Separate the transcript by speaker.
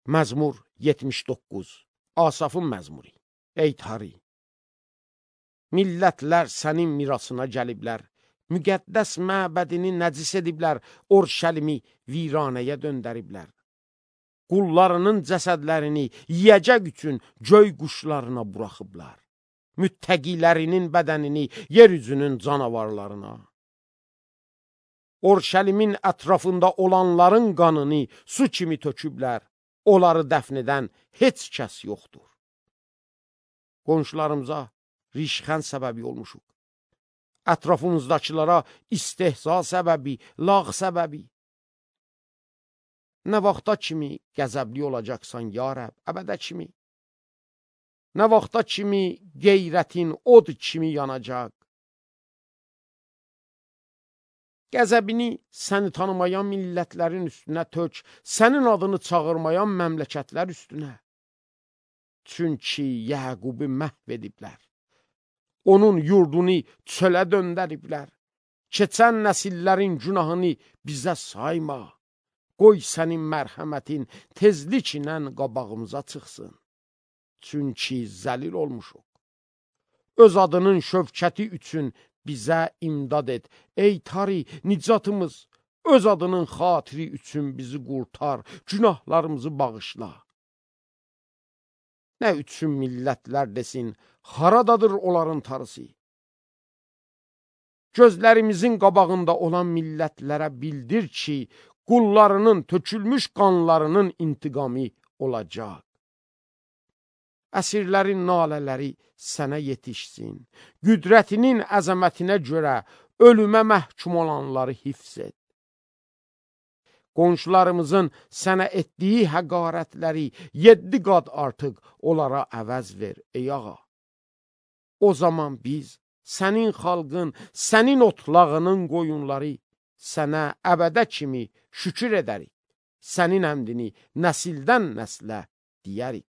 Speaker 1: Məzmur 79. Asafın məzmuri. Ey Tari! Millətlər sənin mirasına gəliblər, müqəddəs məbədini nəcis ediblər, Orşəlimi viranəyə döndəriblər. Qullarının cəsədlərini yiyəcək üçün göy quşlarına buraxıblar. Müttəqilərinin bədənini yeryüzünün canavarlarına. Orşəlimin ətrafında olanların qanını su kimi töküblər, onları dəfn edən heç kəs yoxdur. Qonşularımıza rişxənd səbəbi olmuşuq. Ətrafımızdakılara istehza səbəbi, lağ səbəbi. Nə vaxta kimi qəzəbli olacaqsan, ya Rəb, əbədə kimi? Nə vaxta kimi qeyrətin od kimi yanacaq? Qəzəbini səni tanımayan millətlərin üstünə tök, sənin adını çağırmayan məmləkətlər üstünə. Çünki Yəqubu məhv ediblər. Onun yurdunu çölə döndəriblər. Keçən nəsillərin günahını bizə sayma. Qoy sənin mərhəmətin tezliklə qabağımıza çıxsın. Çünki zəlil olmuşuq. Öz adının şövkəti üçün bizə imdad et. Ey Tari, nicatımız, öz adının xatiri üçün bizi qurtar, günahlarımızı bağışla. Nə üçün millətlər desin, haradadır onların tarısı? Gözlərimizin qabağında olan millətlərə bildir ki, qullarının tökülmüş qanlarının intiqamı olacaq. Əsirlərin nalələri sənə yetişsin. Qüdrətinin əzəmətinə görə ölümə məhkum olanları hifz et. Qonşularımızın sənə etdiyi həqarətləri 7 qat artıq onlara əvəz ver, ey ağa. O zaman biz, sənin xalqın, sənin otlağının qoyunları sənə əbədə kimi şükür edərik. Sənin əmdini nəsildən nəslə deyərik.